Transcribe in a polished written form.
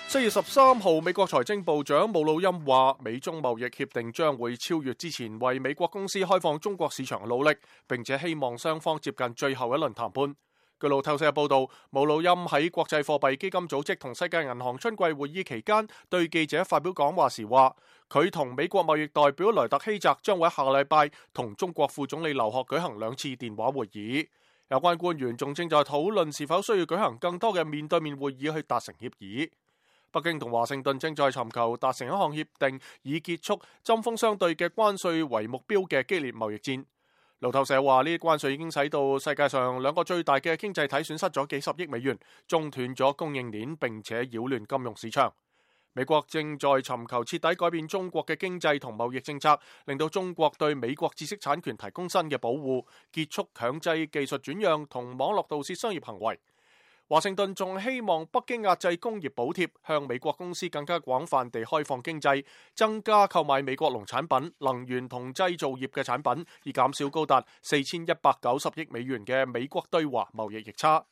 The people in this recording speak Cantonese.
4月13號，美國財政部長姆努欽話，美中貿易協定將會超越之前為美國公司開放中國市場嘅努力，並且希望雙方接近最後一輪談判。據路透社報道，姆努欽喺國際貨幣基金組織同世界銀行春季會議期間，對記者發表講話時話，佢同美國貿易代表萊特希澤將會喺下個禮拜同中國副總理劉鶴舉行2次電話會議。有關官員仲正在討論是否需要舉行更多嘅面對面會議去達成協議。北京同華盛頓正在尋求達成一項協定，以結束針鋒相對嘅關稅為目標嘅激烈貿易戰。路透社話，呢啲關稅已經使到世界上2個最大嘅經濟體損失咗幾十億美元，中斷咗供應鏈，並且擾亂金融市場。美國正在尋求徹底改變中國嘅經濟同貿易政策，令到中國對美國知識產權提供新嘅保護，結束強制技術轉讓同網絡盜竊商業行為。華盛頓仲希望北京壓制工業補貼，向美國公司更加廣泛地開放經濟，增加購買美國農產品、能源同製造業嘅產品，以減少高達4190億美元嘅美國對華貿易逆差。